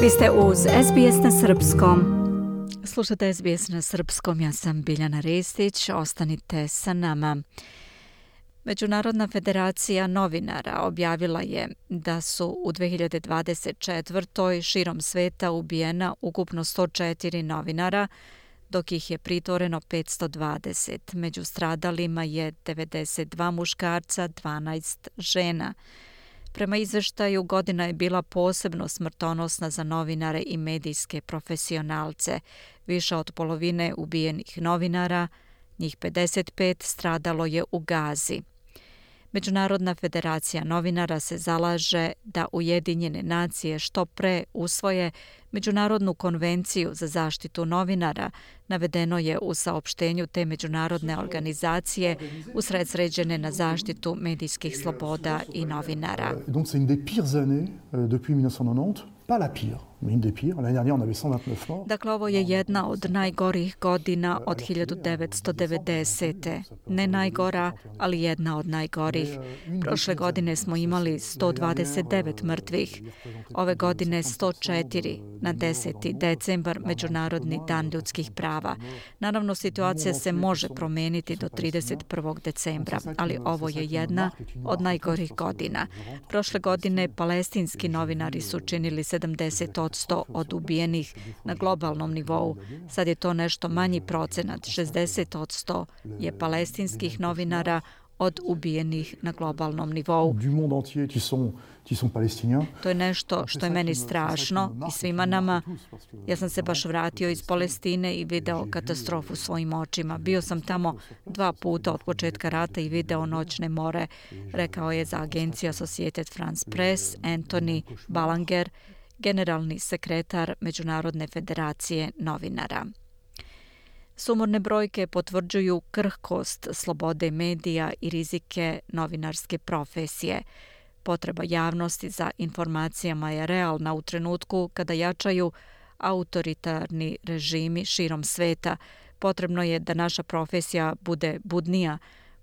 Vi ste uz SBS na Srpskom. Slušate SBS na Srpskom, ja sam Biljana Ristić, ostanite sa nama. Međunarodna federacija novinara objavila je da su u 2024. širom sveta ubijena ukupno 104 novinara, dok ih je pritvoreno 520. Među stradalima je 92 muškarca, 12 žena. Prema izveštaju, godina je bila posebno smrtonosna za novinare i medijske profesionalce. Više od polovine ubijenih novinara, njih 55, stradalo je u Gazi. Međunarodna federacija novinara se zalaže da Ujedinjene nacije što pre usvoje Međunarodnu konvenciju za zaštitu novinara, navedeno je u saopštenju te međunarodne organizacije usredsređene na zaštitu medijskih sloboda i novinara. Donc c'est une des pires années depuis 1990, pas la pire. Dakle, ovo je jedna od najgorih godina od 1990. Ne najgora, ali jedna od najgorih. Prošle godine smo imali 129 mrtvih. Ove godine 104 na 10. decembar, Međunarodni dan ljudskih prava. Naravno, situacija se može promeniti do 31. decembra, ali ovo je jedna od najgorih godina. Prošle godine palestinski novinari su činili 70% od ubijenih na globalnom nivou. Sad je to nešto manji procenat, 60% je palestinskih novinara od ubijenih na globalnom nivou. To je nešto što je meni strašno i svima nama. Ja sam se baš vratio iz Palestine i video katastrofu svojim očima. Bio sam tamo 2 puta od početka rata i video noćne more, rekao je za agenciju Associated France Press Anthony Balanger, generalni sekretar Međunarodne federacije novinara. Sumorne brojke potvrđuju krhkost slobode medija i rizike novinarske profesije. Potreba javnosti za informacijama je realna u trenutku kada jačaju autoritarni režimi širom sveta. Potrebno je da naša profesija bude budnija.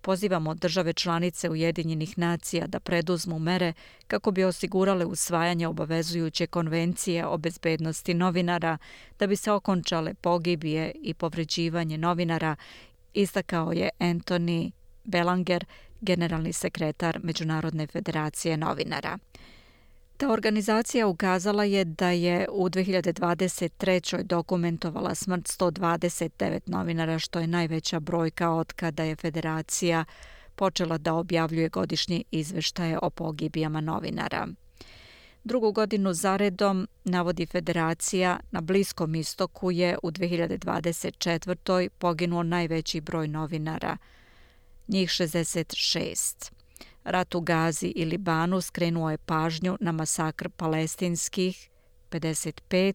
Pozivamo države članice Ujedinjenih nacija da preduzmu mere kako bi osigurale usvajanje obavezujuće konvencije o bezbednosti novinara, da bi se okončale pogibije i povređivanje novinara, istakao je Anthony Belanger, generalni sekretar Međunarodne federacije novinara. Ta organizacija ukazala je da je u 2023. dokumentovala smrt 129 novinara, što je najveća brojka od kada je federacija počela da objavljuje godišnje izveštaje o pogibijama novinara. Drugu godinu zaredom, navodi federacija, na Bliskom istoku je u 2024. poginuo najveći broj novinara, njih 66. Rat u Gazi i Libanu skrenuo je pažnju na masakr palestinskih 55,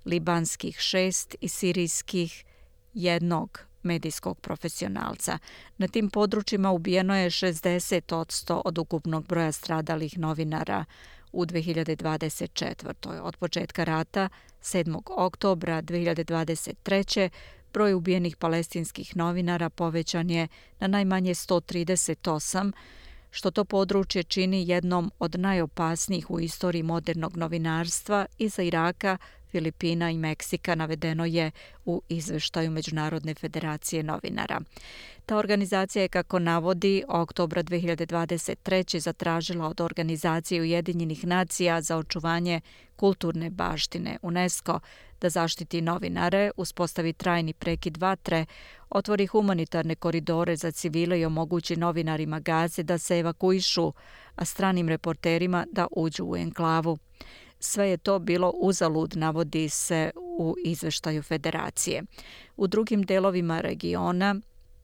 libanskih 6 i sirijskih 1 medijskog profesionalca. Na tim područjima ubijeno je 60% od ukupnog broja stradalih novinara u 2024. Od početka rata, 7. oktobra 2023. broj ubijenih palestinskih novinara povećan je na najmanje 138, što to područje čini jednom od najopasnijih u istoriji modernog novinarstva iza Iraka, Filipina i Meksika, navedeno je u izveštaju Međunarodne federacije novinara. Ta organizacija je, kako navodi, oktobra 2023. zatražila od Organizacije Ujedinjenih nacija za očuvanje kulturne baštine UNESCO da zaštiti novinare, uspostavi trajni prekid vatre, otvori humanitarne koridore za civile i omogući novinarima Gaze da se evakuišu, a stranim reporterima da uđu u enklavu. Sve je to bilo uzalud, navodi se u izveštaju federacije. U drugim delovima regiona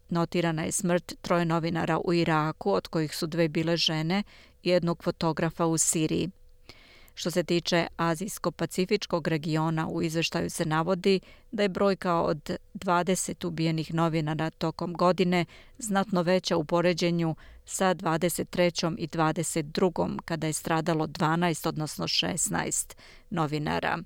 notirana je smrt 3 novinara u Iraku, od kojih su 2 bile žene i 1 fotografa u Siriji. Što se tiče Azijsko-Pacifičkog regiona, u izveštaju se navodi da je brojka od 20 ubijenih novinara tokom godine znatno veća u poređenju sa 23. i 22. kada je stradalo 12, odnosno 16 novinara.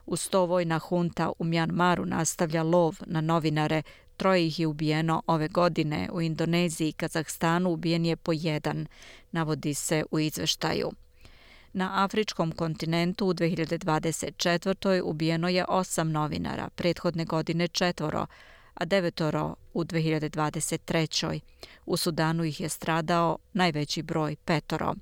Uz to vojna hunta u Mjanmaru nastavlja lov na novinare. 3 ih je ubijeno ove godine. U Indoneziji i Kazahstanu ubijen je po 1, navodi se u izveštaju. Na afričkom kontinentu u 2024. ubijeno je 8 novinara, prethodne godine 4, a 9 u 2023. U Sudanu ih je stradao najveći broj 5.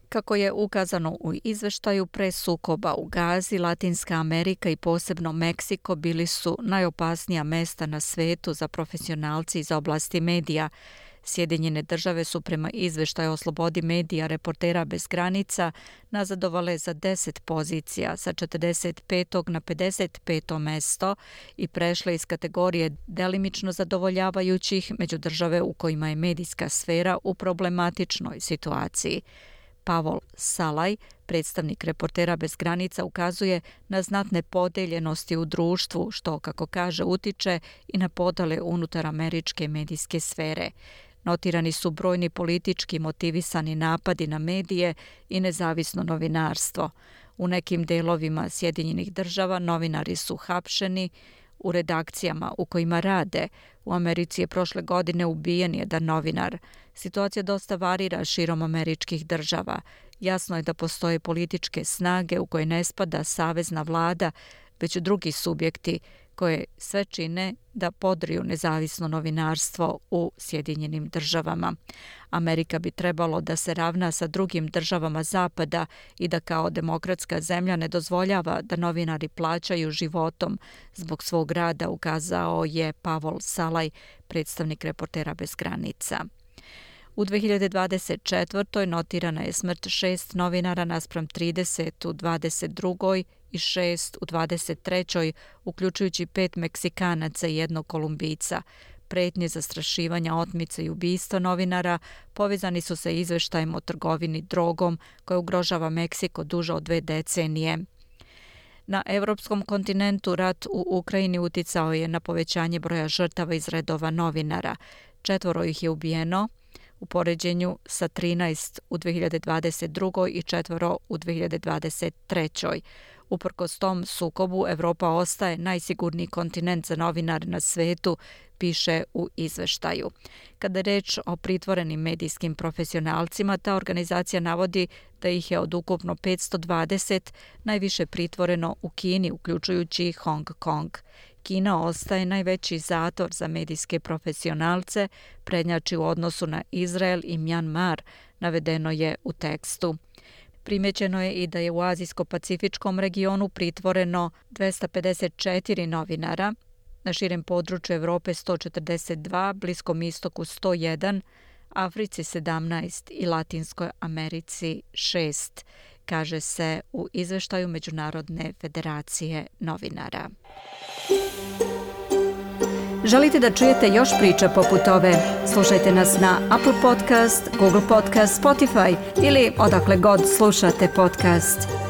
Kako je ukazano u izveštaju, pre sukoba u Gazi, Latinska Amerika i posebno Meksiko bili su najopasnija mesta na svetu za profesionalci iz oblasti medija. Sjedinjene države su prema izveštaju o slobodi medija Reportera bez granica nazadovale za 10 pozicija sa 45. na 55. mesto i prešle iz kategorije delimično zadovoljavajućih među države u kojima je medijska sfera u problematičnoj situaciji. Pavol Salaj, predstavnik Reportera bez granica, ukazuje na znatne podeljenosti u društvu, što, kako kaže, utiče i na podele unutar američke medijske sfere. Notirani su brojni politički motivisani napadi na medije i nezavisno novinarstvo. U nekim delovima Sjedinjenih država novinari su hapšeni u redakcijama u kojima rade. U Americi je prošle godine ubijen jedan novinar. Situacija dosta varira širom američkih država. Jasno je da postoje političke snage u koje ne spada savezna vlada, već drugi subjekti koje sve čine da podriju nezavisno novinarstvo u Sjedinjenim državama. Amerika bi trebalo da se ravna sa drugim državama Zapada i da kao demokratska zemlja ne dozvoljava da novinari plaćaju životom zbog svog rada, ukazao je Pavol Salaj, predstavnik Reportera bez granica. U 2024. notirana je smrt 6 novinara naspram 30 u 22. i 6 u 23. uključujući 5 Meksikanaca i 1 Kolumbijca. Pretnje zastrašivanja, otmice i ubistva novinara povezani su sa izveštajem o trgovini drogom koja ugrožava Meksiko duže od 2 decenije. Na evropskom kontinentu rat u Ukrajini uticao je na povećanje broja žrtava iz redova novinara. 4 ih je ubijeno u poređenju sa 13 u 2022. i 4 u 2023. Uprkos tom sukobu, Evropa ostaje najsigurniji kontinent za novinare na svetu, piše u izveštaju. Kada je reč o pritvorenim medijskim profesionalcima, ta organizacija navodi da ih je od ukupno 520 najviše pritvoreno u Kini, uključujući Hong Kong. Kina ostaje najveći zatvor za medijske profesionalce, prednjači u odnosu na Izrael i Mjanmar, navedeno je u tekstu. Primećeno je i da je u Azijsko-Pacifičkom regionu pritvoreno 254 novinara, na širem području Evrope 142, Bliskom istoku 101, Africi 17 i Latinskoj Americi 6, kaže se u izveštaju Međunarodne federacije novinara. Želite da čujete još priča poput ove? Slušajte nas na Apple Podcast, Google Podcast, Spotify ili odakle god slušate podcast.